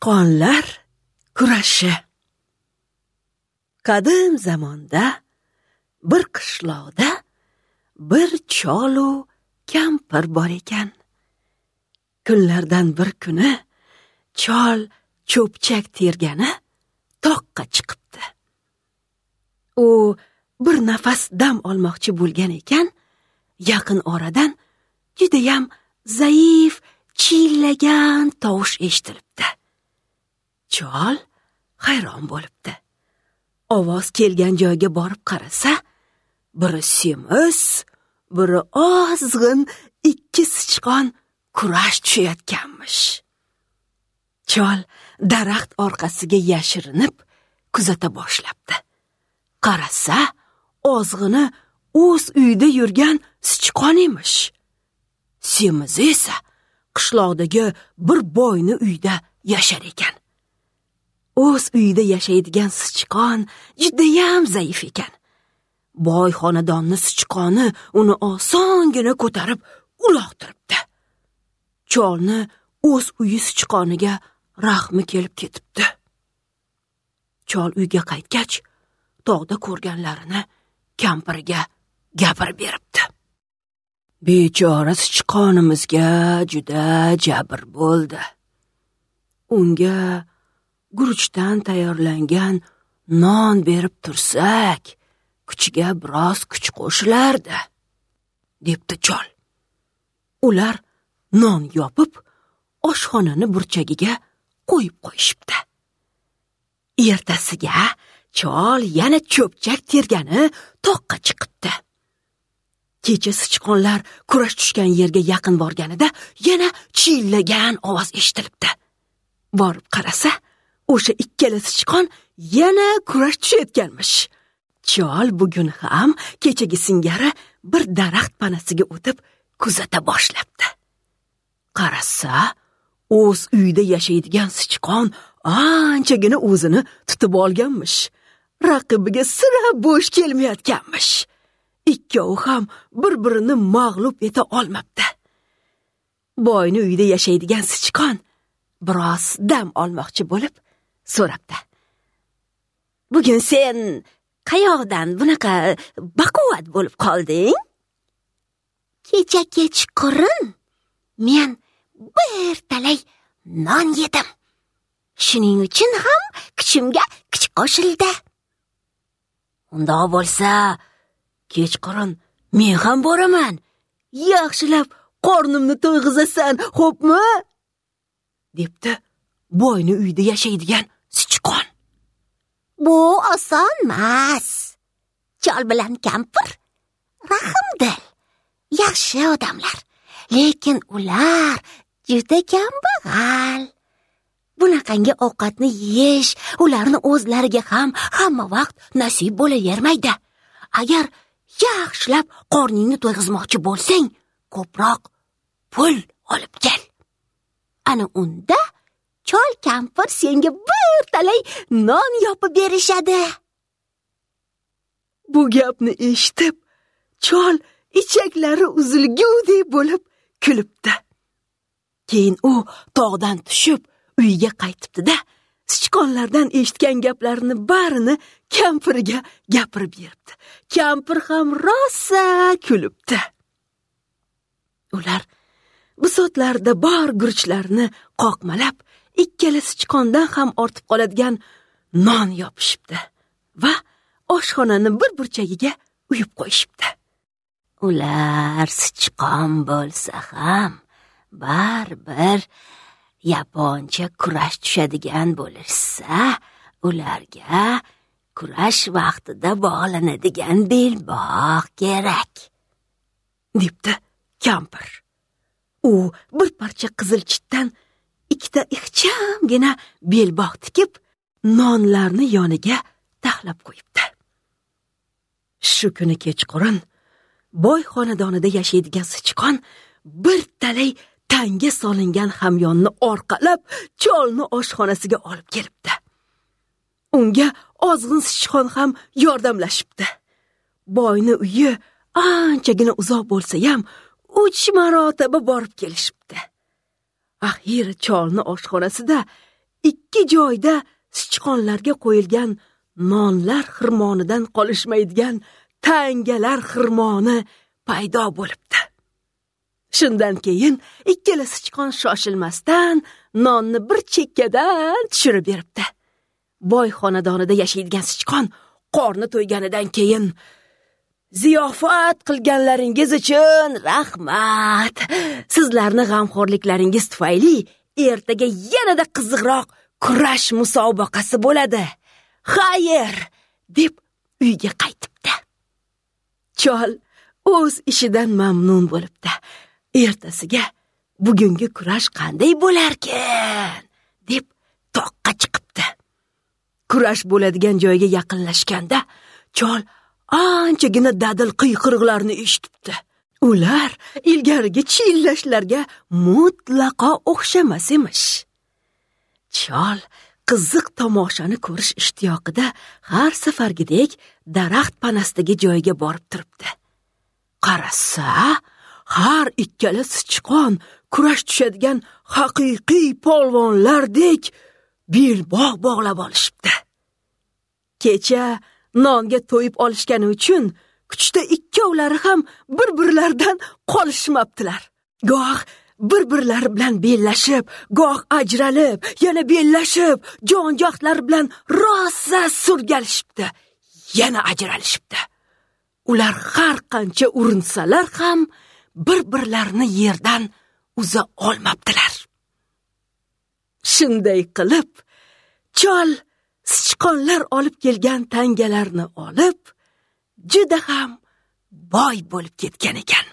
Sichqonlar kurashi. Qadim zamonda bir qishloqda bir cholu kampir bor ekan. Kunlardan bir kuni chol cho'pchak tergani toqqa chiqibdi. U bir nafas dam olmoqchi bo'lgan ekan, yaqin oradan judayam zaif chillagan tovush eshitilibdi. Chol hayron bo'libdi. Ovoz kelgan joyga borib qarasa, biri semiz, biri ozg'in ikki sichqon kurash tushayotganmish. Chol daraxt orqasiga yashirinib kuzata boshlabdi. Qarasa, ozg'ini o'z uyida yurgan sichqon emish. Semizi esa qishloqdagi bir boyni uyda yashar ekan. O'z uyida yashaydigan sichqon judayam zaif ekan. Boy xonadonni sichqoni uni osongina ko'tarib uloqtiribdi. Cholni o'z uyi sichqoniga rahmi kelib ketibdi. Chol uyga qaytgach, tog'da ko'rganlarini kampiriga gapirib beribdi. Bechora sichqonimizga juda jabr bo'ldi. Unga guruchdan tayyorlangan non berib tursak, kuchiga biroz kuch qo'shilardi, debdi chol. Ular non yopib, oshxonani burchagiga qo'yib qo'yishibdi. Ertasiga chol yana cho'pchak tergani toqqa chiqibdi. Kecha sichqonlar kurash tushgan yerga yaqin borganida yana chillagan ovoz eshitilibdi. Borib qarasa, o'sha ikkala sichqon yana kurash tushayotganmish. Chol bugun ham kechagi singari bir daraxt panasiga o'tib kuzata boshlabdi. Qarasa, o'z uyida yashaydigan sichqon anchagina o'zini tutib olganmish. Raqibiga sira bo'sh kelmayotganmish. Ikkovi ham bir-birini mag'lub eta olmabdi. Boyni uyida yashaydigan sichqon biroz dam olmoqchi bo'lib so'rabdi. Bugun sen qayoqdan bunaqa baquvvat bo'lib qolding? Kecha kechqurun men bir talay non yedim. Shuning uchun ham kuchimga kuch qo'shildi. Undoq bo'lsa, kechqurun men ham boraman. Yaxshilab qornimni to'yg'izasan, xo'pmi? Debdi boyni uyida yashaydigan sichqon. Bu osonmas. Chol bilan kampir rahmdil, yaxshi odamlar, lekin ular juda kambag'al. Bunaqangi ovqatni yeyish ularni o'zlariga ham hamma vaqt nasib bo'lavermaydi. Agar yaxshilab qorningni to'yg'izmoqchi bo'lsang, ko'proq pul olib kel. Ana unda chol kampir senga bir talay non yopib berishadi. Bu gapni eshitib, chol ichaklari uzilgudek bo'lib kulibdi. Keyin u tog'dan tushib uyiga qaytibdi-da, sichqonlardan eshitgan gaplarini barini kampiriga gapirib beribdi. Kampir ham rosa kulibdi. Ular bisotlarda bor guruchlarni qoqmalab, ikkala sichqondan ham ortib qoladigan non yopishibdi va oshxonani bir burchagiga uyib qo'yishibdi. Ular sichqon bo'lsa ham baribir yaponcha kurash tushadigan bo'lishsa, ularga kurash vaqtida bog'lanadigan belbog' kerak, debdi kampir. U bir parcha qizil chitdan ikkita ixchamgina belbog' tikib, nonlarni yoniga taxlab qo'yibdi. Shu kuni kechqurun boy xonadonida yashaydigan sichqon bir talay tanga solingan hamyonni orqalab cholni oshxonasiga olib kelibdi. Unga ozg'in sichqon ham yordamlashibdi. Boyni uyi anchagina uzoq bo'lsa ham 3 marotaba borib kelishibdi. Axir cholni oshxonasida ikki joyda sichqonlarga qo'yilgan nonlar xirmonidan qolishmaydigan tangalar xirmoni paydo bo'libdi. Shundan keyin ikkala sichqon shoshilmasdan nonni bir chekkadan tushirib beribdi. Boy xonadonida yashaydigan sichqon qorni to'yganidan keyin: "Ziyofat qilganlaringiz uchun rahmat. Sizlarni g'amxo'rliklaringiz tufayli ertaga yanada qiziqroq kurash musobaqasi bo'ladi. Xayr!" deb uyga qaytibdi. Chol o'z ishidan mamnun bo'libdi. Ertasiga bugungi kurash qanday bo'larkan deb toqqa chiqibdi. Kurash bo'ladigan joyga yaqinlashganda chol anchagina dadil qiyqiriqlarni eshitibdi. Ular ilgarigi chillashlarga mutlaqo o'xshamas emish. Chol qiziq tomoshani ko'rish ishtiyoqida har safargidek daraxt panasidagi joyga borib turibdi. Qarasa, har ikkala sichqon kurash tushadigan haqiqiy polvonlardek belbog' bog'lab olishibdi. Kecha nonga to'yib olishgani uchun kuchda ikkovlari ham bir-birlaridan qolishmabdilar. Goh bir-birlari bilan bellashib, goh ajralib, yana bellashib, jon-johlari bilan rosa surgalishibdi, yana ajralishibdi. Ular har qancha urinsalar ham bir-birlarini yerdan uza olmabdilar. Shunday qilib, chol sichqonlar olib kelgan tangalarni olib, juda ham boy bo'lib ketgan ekan.